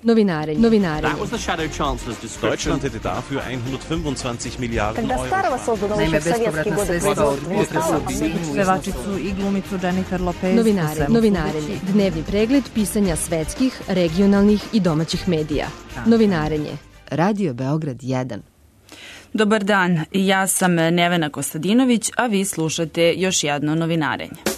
Novinarenje. Deutschland hätte dafür 125 Milijarden Euro. Naime, bespovratna sredstva od pevačicu i glumicu Jennifer Lopez. Novinarenje. Dnevni pregled pisanja svetskih, regionalnih i domaćih medija. Novinarenje. Radio Beograd 1. Dobar dan, ja sam Nevena Kostadinović, a vi slušate još jedno novinarenje.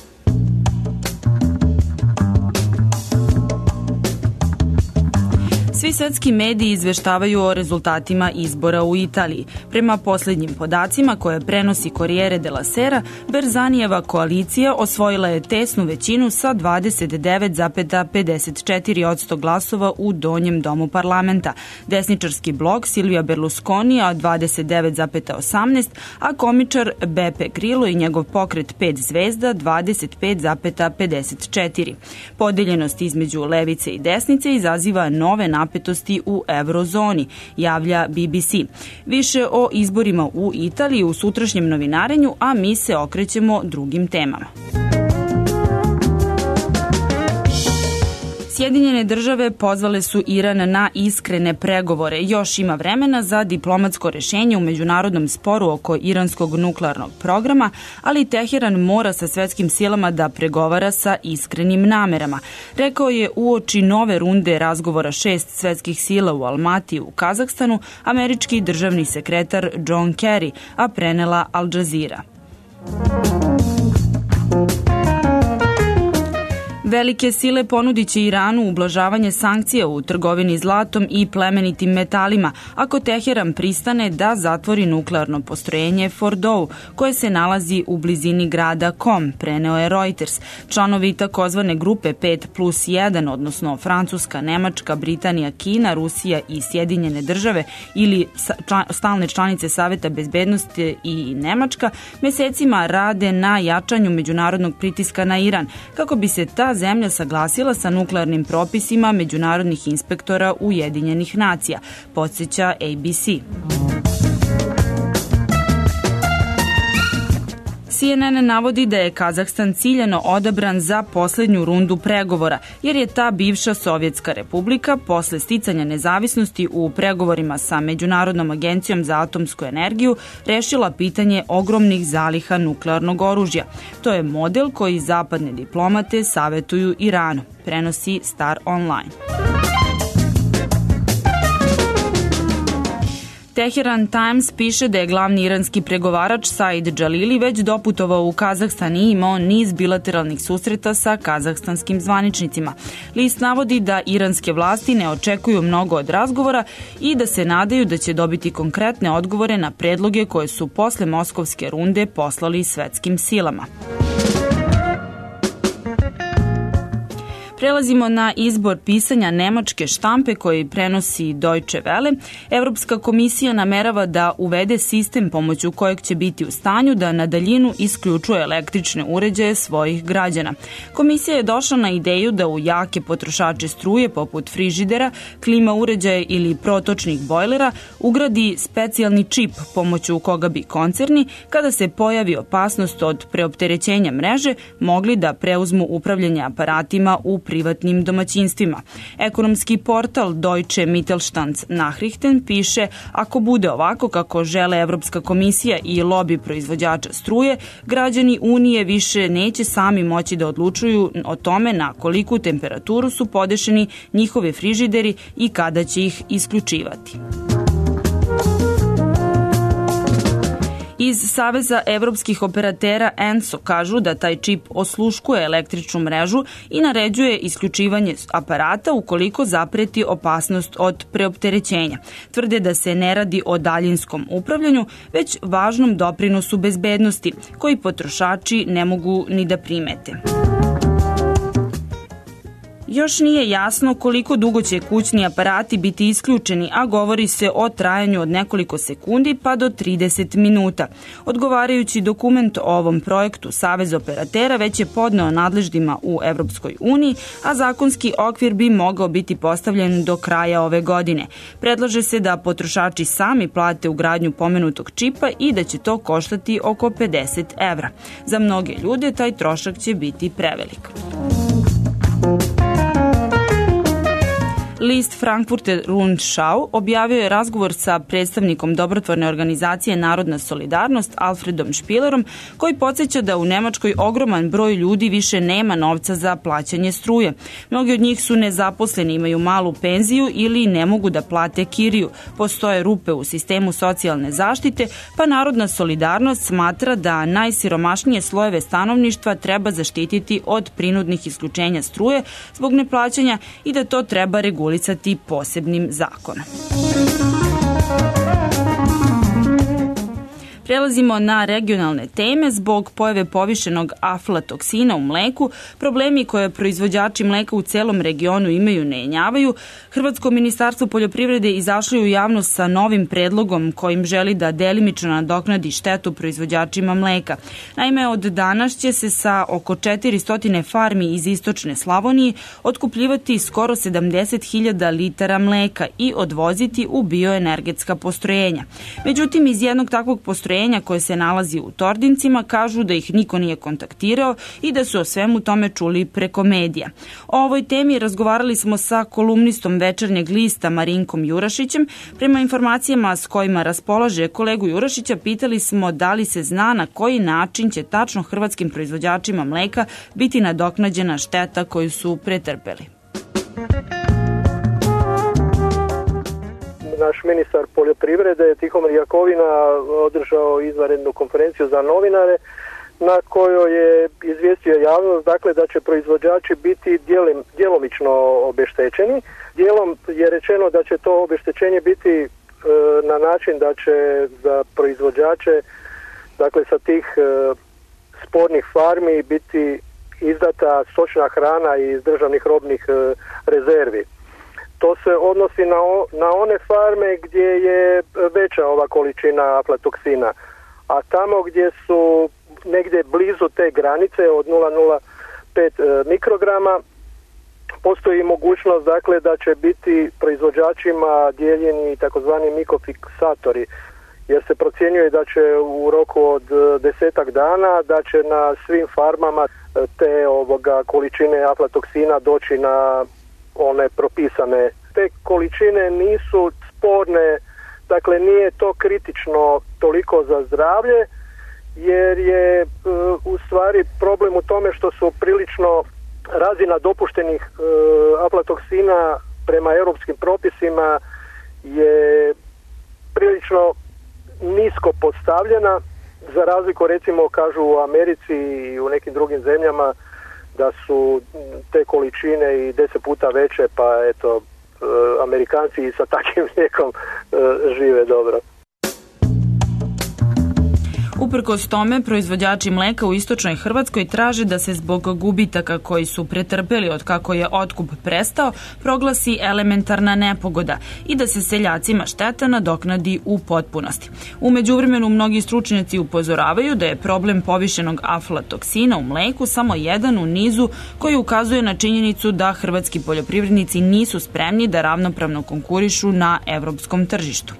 Svi svetski mediji izveštavaju o rezultatima izbora u Italiji. Prema poslednjim podacima koje prenosi Corriere della Sera, Berzanijeva koalicija osvojila je tesnu većinu sa 29,54% glasova u donjem domu parlamenta. Desničarski blok Silvija Berlusconija 29,18%, a komičar Beppe Grillo i njegov pokret 5 zvezda 25,54%. Podeljenost između levice i desnice izaziva nove napetosti u eurozoni, javlja BBC. Više o izborima u Italiji u sutrašnjem novinarenju, a mi se okrećemo drugim temama. Sjedinjene države pozvale su Iran na iskrene pregovore. Još ima vremena za diplomatsko rešenje u međunarodnom sporu oko iranskog nuklearnog programa, ali Teheran mora sa svetskim silama da pregovara sa iskrenim namerama. Rekao je uoči nove runde razgovora 6 svetskih sila u Almatiji u Kazahstanu američki državni sekretar John Kerry, a prenela Al Jazeera. Velike sile ponudit će Iranu ublažavanje sankcija u trgovini zlatom i plemenitim metalima ako Teheran pristane da zatvori nuklearno postrojenje Fordow, koje se nalazi u blizini grada Qom, preneo je Reuters. Članovi takozvane grupe 5+1, odnosno Francuska, Nemačka, Britanija, Kina, Rusija i Sjedinjene države ili stalne članice Saveta bezbednosti i Nemačka, mesecima rade na jačanju međunarodnog pritiska na Iran, kako bi se ta zemlja saglasila sa nuklearnim propisima međunarodnih inspektora Ujedinjenih nacija, podsjeća ABC. CNN navodi da je Kazahstan ciljano odabran za poslednju rundu pregovora, jer je ta bivša Sovjetska republika posle sticanja nezavisnosti u pregovorima sa Međunarodnom agencijom za atomsku energiju rešila pitanje ogromnih zaliha nuklearnog oružja. To je model koji zapadne diplomate savetuju Iranu, prenosi Star Online. Teheran Times piše da je glavni iranski pregovarač Said Jalili već doputovao u Kazahstan i imao niz bilateralnih susreta sa kazahstanskim zvaničnicima. List navodi da iranske vlasti ne očekuju mnogo od razgovora i da se nadaju da će dobiti konkretne odgovore na predloge koje su posle moskovske runde poslali svetskim silama. Prelazimo na izbor pisanja nemačke štampe koji prenosi Deutsche Welle. Evropska komisija namerava da uvede sistem pomoću kojeg će biti u stanju da na daljinu isključuje električne uređaje svojih građana. Komisija je došla na ideju da u jake potrošače struje poput frižidera, klima uređaja ili protočnih bojlera ugradi specijalni čip pomoću koga bi koncerni, kada se pojavi opasnost od preopterećenja mreže, mogli da preuzmu upravljanje aparatima u privatnim domaćinstvima. Ekonomski portal Deutsche Mittelstands Nachrichten piše: ako bude ovako kako žele Evropska komisija i lobi proizvođača struje, građani Unije više neće sami moći da odlučuju o tome na koliku temperaturu su podešeni njihovi frižideri i kada će ih isključivati. Iz Saveza evropskih operatera ENSO kažu da taj čip osluškuje električnu mrežu i naređuje isključivanje aparata ukoliko zapreti opasnost od preopterećenja. Tvrde da se ne radi o daljinskom upravljanju, već važnom doprinosu bezbednosti, koji potrošači ne mogu ni da primete. Još nije jasno koliko dugo će kućni aparati biti isključeni, a govori se o trajanju od nekoliko sekundi pa do 30 minuta. Odgovarajući dokument o ovom projektu Savez operatera već je podneo nadležnima u Evropskoj uniji, a zakonski okvir bi mogao biti postavljen do kraja ove godine. Predlaže se da potrošači sami plate ugradnju pomenutog čipa i da će to koštati oko 50 evra. Za mnoge ljude taj trošak će biti prevelik. List Frankfurter Rundschau objavio je razgovor sa predstavnikom dobrotvorne organizacije Narodna solidarnost Alfredom Špilerom, koji podsjeća da u Nemačkoj ogroman broj ljudi više nema novca za plaćanje struje. Mnogi od njih su nezaposleni, imaju malu penziju ili ne mogu da plate kiriju. Postoje rupe u sistemu socijalne zaštite, pa Narodna solidarnost smatra da najsiromašnije slojeve stanovništva treba zaštititi od prinudnih isključenja struje zbog neplaćanja i da to treba regulisati posebnim zakonom. Prelazimo na regionalne teme. Zbog pojave povišenog aflatoksina u mleku, problemi koje proizvođači mleka u celom regionu imaju ne jenjavaju. Hrvatsko ministarstvo poljoprivrede izašlo u javnost sa novim predlogom kojim želi da delimično nadoknadi štetu proizvođačima mleka. Naime, od danas će se sa oko 400 farmi iz istočne Slavonije otkupljivati skoro 70.000 litara mleka i odvoziti u bioenergetska postrojenja. Međutim, iz jednog takvog postrojenja koje se nalazi u Tordincima kažu da ih niko nije kontaktirao i da su o svemu tome čuli preko medija. O ovoj temi razgovarali smo sa kolumnistom Večernjeg lista Marinkom Jurašićem. Prema informacijama s kojima raspolaže kolegu Jurašića, pitali smo da li se zna na koji način će tačno hrvatskim proizvođačima mleka biti nadoknađena šteta koju su pretrpeli. Naš ministar poljoprivrede Tihomir Jakovina održao izvanrednu konferenciju za novinare na kojoj je izvijestio javnost da će proizvođači biti djelomično obeštećeni. Dijelom je rečeno da će to obeštećenje biti na način da će za proizvođače sa tih spornih farmi biti izdata stočna hrana iz državnih robnih rezervi. To se odnosi na one farme gdje je veća ova količina aflatoksina, a tamo gdje su negdje blizu te granice od 0,05 mikrograma postoji mogućnost da će biti proizvođačima dijeljeni takozvani mikofiksatori, jer se procjenjuje da će u roku od 10 dana da će na svim farmama te količine aflatoksina doći na one propisane. Te količine nisu sporne, nije to kritično toliko za zdravlje, jer je u stvari problem u tome što su prilično razina dopuštenih aflatoksina prema europskim propisima je prilično nisko postavljena, za razliku recimo kažu u Americi i u nekim drugim zemljama da su te količine i 10 puta veće, pa eto, Amerikanci i sa takvim mlijekom žive dobro. Uprkos tome, proizvođači mleka u istočnoj Hrvatskoj traže da se zbog gubitaka koji su pretrpeli od kako je otkup prestao, proglasi elementarna nepogoda i da se seljacima šteta nadoknadi u potpunosti. U međuvremenu mnogi stručnjaci upozoravaju da je problem povišenog aflatoksina u mleku samo jedan u nizu koji ukazuje na činjenicu da hrvatski poljoprivrednici nisu spremni da ravnopravno konkurišu na evropskom tržištu.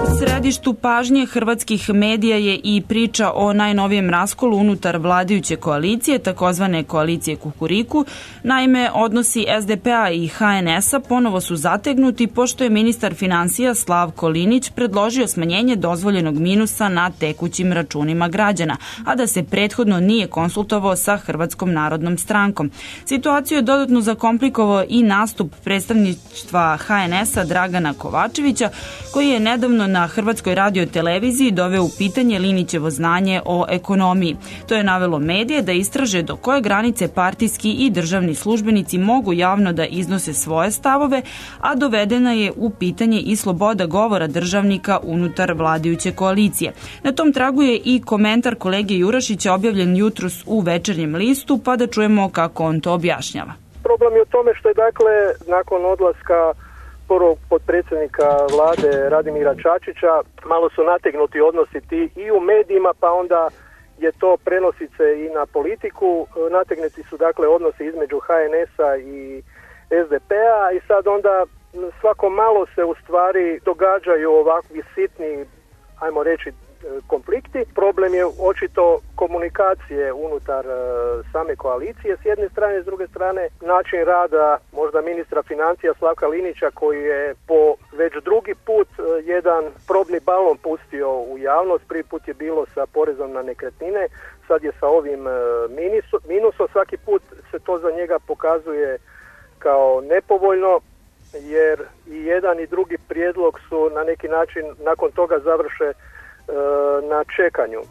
U središtu pažnje hrvatskih medija je i priča o najnovijem raskolu unutar vladajuće koalicije, takozvane koalicije Kukuriku. Naime, odnosi SDP-a i HNS-a ponovo su zategnuti pošto je ministar finansija Slavko Linić predložio smanjenje dozvoljenog minusa na tekućim računima građana, a da se prethodno nije konsultovao sa Hrvatskom narodnom strankom. Situaciju je dodatno zakomplikovao i nastup predstavništva HNS-a Dragana Kovačevića, koji je nedavno na Hrvatskoj radioteleviziji doveo u pitanje Linićevo znanje o ekonomiji. To je navelo medije da istraže do koje granice partijski i državni službenici mogu javno da iznose svoje stavove, a dovedena je u pitanje i sloboda govora državnika unutar vladajuće koalicije. Na tom tragu je i komentar kolege Jurašića objavljen jutros u Večernjem listu, pa da čujemo kako on to objašnjava. Problem je u tome što je nakon odlaska prvog potpredsjednika vlade Radimira Čačića malo su nategnuti odnosi i u medijima, pa onda je to prenosi se i na politiku. Nategnuti su odnosi između HNS-a i SDP-a i sad onda svako malo se u stvari događaju ovakvi sitni, ajmo reći, konflikti. Problem je očito komunikacije unutar same koalicije s jedne strane, s druge strane način rada možda ministra financija Slavka Linića koji je po već drugi put jedan probni balon pustio u javnost. Prvi put je bilo sa porezom na nekretnine, sad je sa ovim minusom. Svaki put se to za njega pokazuje kao nepovoljno, jer i jedan i drugi prijedlog su na neki način nakon toga završe na čekanju.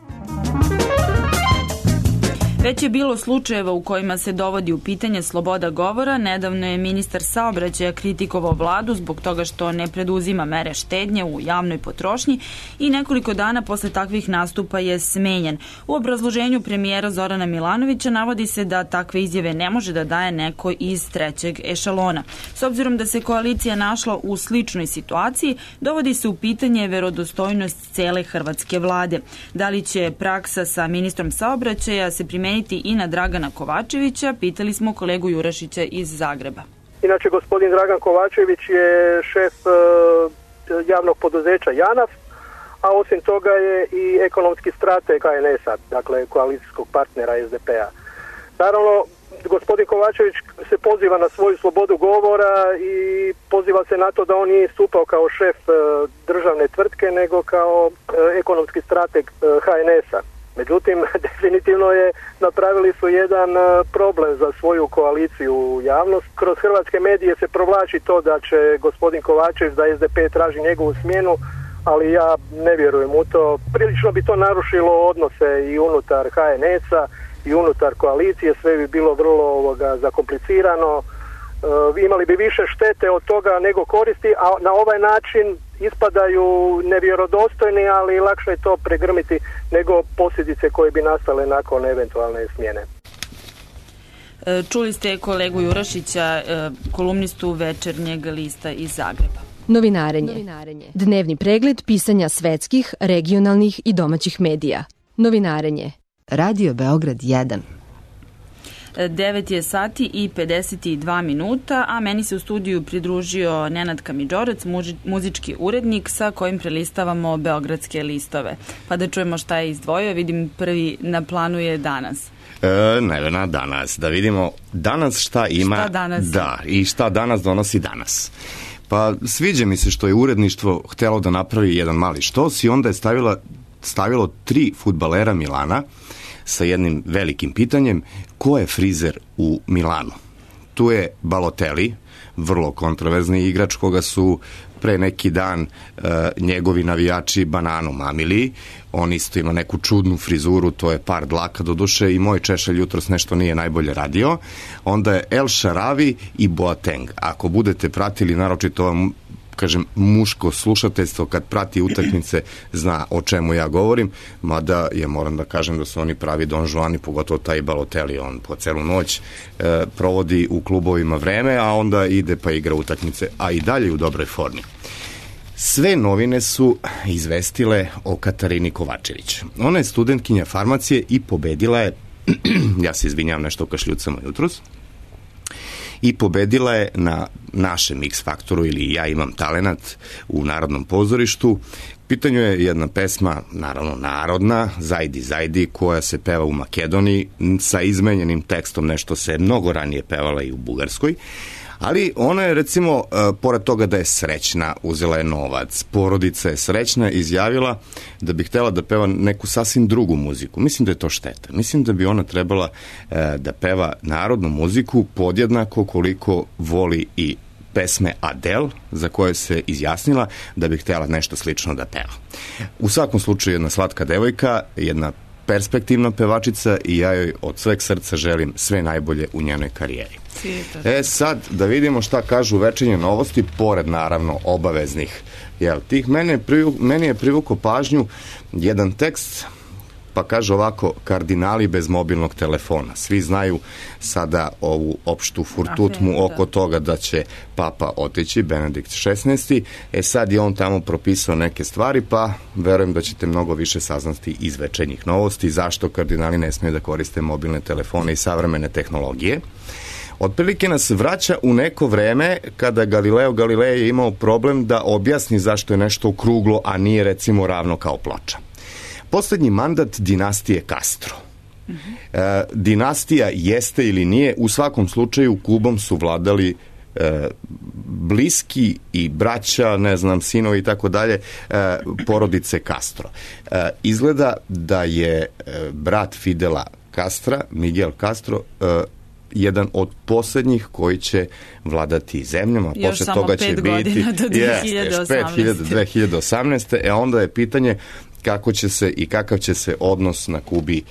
Već je bilo slučajeva u kojima se dovodi u pitanje sloboda govora. Nedavno je ministar saobraćaja kritikovao vladu zbog toga što ne preduzima mere štednje u javnoj potrošnji i nekoliko dana posle takvih nastupa je smenjen. U obrazloženju premijera Zorana Milanovića navodi se da takve izjave ne može da daje neko iz trećeg ešalona. S obzirom da se koalicija našla u sličnoj situaciji, dovodi se u pitanje verodostojnost cele hrvatske vlade. Da li će praksa sa ministrom saobraćaja se primeniti i na Dragana Kovačevića, pitali smo kolegu Jurašića iz Zagreba. Inače, gospodin Dragan Kovačević je šef javnog poduzeća JANAF, a osim toga je i ekonomski strateg HNS-a, dakle koalicijskog partnera SDP-a. Naravno, gospodin Kovačević se poziva na svoju slobodu govora i poziva se na to da on nije istupao kao šef državne tvrtke, nego kao ekonomski strateg HNS-a. Međutim, definitivno napravili su jedan problem za svoju koaliciju u javnost. Kroz hrvatske medije se provlači to da će gospodin Kovačević, da SDP traži njegovu smjenu, ali ja ne vjerujem u to. Prilično bi to narušilo odnose i unutar HNS-a i unutar koalicije, sve bi bilo vrlo zakomplicirano. Imali bi više štete od toga nego koristi, a na ovaj način ispadaju nevjerodostojni, ali lakše je to pregrmiti nego posljedice koje bi nastale nakon eventualne smjene. Čuli ste kolegu Jurašića, kolumnistu Večernjeg lista iz Zagreba. Novinarenje. Dnevni pregled pisanja svetskih, regionalnih i domaćih medija. Novinarenje. Radio Beograd 1. 9 je sati i 52 minuta, a meni se u studiju pridružio Nenad Kamidžorec, muzički urednik sa kojim prelistavamo beogradske listove. Pa da čujemo šta je izdvojio, vidim prvi na planu je Danas. Nevena, Danas. Da vidimo danas šta ima. Šta danas? Da, i šta danas donosi Danas. Pa sviđa mi se što je uredništvo htelo da napravi jedan mali štos i onda je stavilo 3 fudbalera Milana sa jednim velikim pitanjem: ko je frizer u Milanu? Tu je Balotelli, vrlo kontroverzni igrač koga su pre neki dan njegovi navijači bananom mamili. On isto ima neku čudnu frizuru, to je par dlaka do duše i moj češelj jutros nešto nije najbolje radio. Onda je El Shaarawy i Boateng. Ako budete pratili, naročito kažem, muško slušateljstvo kad prati utakmice zna o čemu ja govorim, mada ja moram da kažem da su oni pravi Don Juani, pogotovo taj Balotelli, on po celu noć provodi u klubovima vreme, a onda ide pa igra utakmice, a i dalje u dobroj formi. Sve novine su izvestile o Katarini Kovačević. Ona je studentkinja farmacije i pobedila je, ja se izvinjavam nešto kašljucama jutros, i pobedila je na našem X Faktoru ili Ja imam talenat u Narodnom pozorištu. Pitanju je jedna pesma, naravno narodna, Zajdi, Zajdi, koja se peva u Makedoniji sa izmenjenim tekstom, nešto se mnogo ranije pevala i u Bugarskoj. Ali ona je, recimo, pored toga da je srećna, uzela je novac, porodica je srećna, izjavila da bi htela da peva neku sasvim drugu muziku. Mislim da je to šteta. Mislim da bi ona trebala da peva narodnu muziku podjednako koliko voli i pesme Adele, za koje se izjasnila da bi htela nešto slično da peva. U svakom slučaju jedna slatka devojka, jedna perspektivna pevačica i ja joj od sveg srca želim sve najbolje u njenoj karijeri. Sad da vidimo šta kažu Večernje novosti, pored naravno obaveznih tih. Meni je privukao pažnju jedan tekst, pa kaže ovako: kardinali bez mobilnog telefona. Svi znaju sada ovu opštu furtutmu oko toga da će Papa otići, Benedikt XVI. Sad je on tamo propisao neke stvari, pa verujem da ćete mnogo više saznati iz Večernjih novosti zašto kardinali ne smiju da koriste mobilne telefone i savremene tehnologije. Otprilike nas vraća u neko vreme kada Galileo Galilei je imao problem da objasni zašto je nešto okruglo, a nije recimo ravno kao ploča. Poslednji mandat dinastije Castro. Dinastija jeste ili nije, u svakom slučaju Kubom su vladali bliski i braća, ne znam, sinovi i tako dalje, porodice Castro. Izgleda da je brat Fidela Castra, Miguel Castro, jedan od poslednjih koji će vladati zemljama. Još posle samo toga će 5 godina do 2018. Onda je pitanje kako će se i kakav će se odnos na Kubi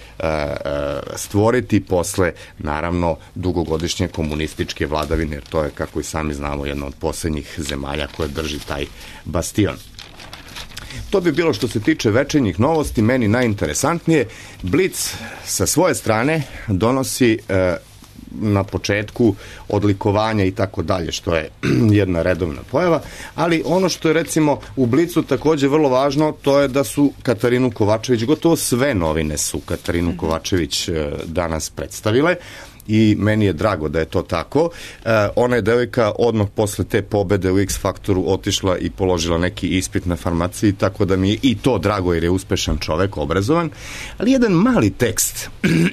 stvoriti posle, naravno, dugogodišnje komunističke vladavine, jer to je, kako i sami znamo, jedna od poslednjih zemalja koja drži taj bastion. To bi bilo što se tiče večernjih novosti. Meni najinteresantnije, Blic sa svoje strane donosi na početku odlikovanja i tako dalje, što je jedna redovna pojava, ali ono što je recimo u Blicu takođe vrlo važno, to je da su Katarinu Kovačević, gotovo sve novine su Katarinu Kovačević danas predstavile, i meni je drago da je to tako. Ona je devojka odmah posle te pobede u X Faktoru otišla i položila neki ispit na farmaciji, tako da mi je i to drago jer je uspešan čovek, obrazovan. Ali jedan mali tekst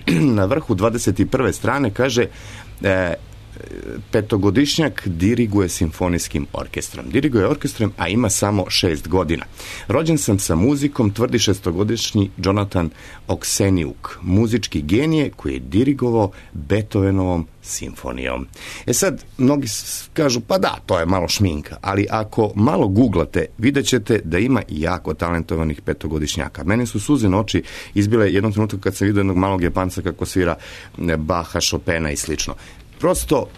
na vrhu 21. strane kaže petogodišnjak diriguje simfonijskim orkestrom. Diriguje orkestrom, a ima samo 6 godina. Rođen sam sa muzikom, tvrdi 6-godišnji Jonathan Okseniuk, muzički genije koji je dirigovao Beethovenovom simfonijom. Sad, mnogi kažu, pa da, to je malo šminka, ali ako malo googlate, vidjet ćete da ima jako talentovanih petogodišnjaka. Mene su suze na oči izbile jednom trenutku kad sam vidio jednog malog Japanca kako svira Baha, Chopina i slično. Prosto,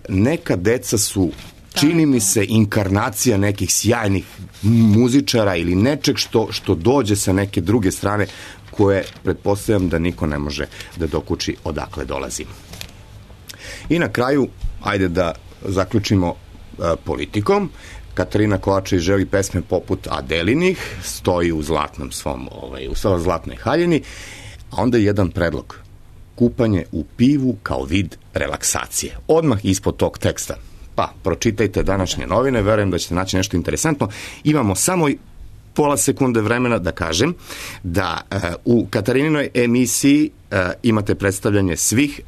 neka deca su, čini mi se, inkarnacija nekih sjajnih muzičara ili nečeg što dođe sa neke druge strane, koje pretpostavljam da niko ne može da dokuči odakle dolazi. I na kraju, ajde da zaključimo politikom. Katarina Kovačević želi pesme poput Adelinih, stoji u zlatnom svom, u svojoj zlatnoj haljini, a onda je jedan predlog. Kupanje u pivu kao vid relaksacije. Odmah ispod tog teksta. Pa, pročitajte današnje novine, verujem da ćete naći nešto interesantno. Imamo samo pola sekunde vremena da kažem da u Katarinoj emisiji imate predstavljanje svih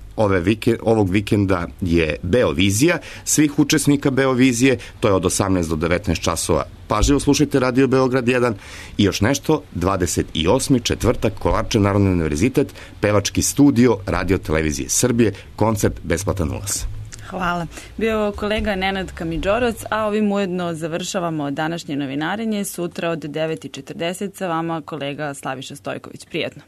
ovog vikenda je Beovizija, svih učesnika Beovizije, to je od 18 do 19 časova. Pažljivo slušajte Radio Beograd 1 i još nešto, 28. četvrtak, Kolarče, Narodni univerzitet, pevački studio Radio Televizije Srbije, koncert besplatan ulaz. Hvala. Bio kolega Nenad Kamidžorac, a ovim ujedno završavamo današnje novinarenje. Sutra od 9:40 sa vama kolega Slaviša Stojković. Prijetno.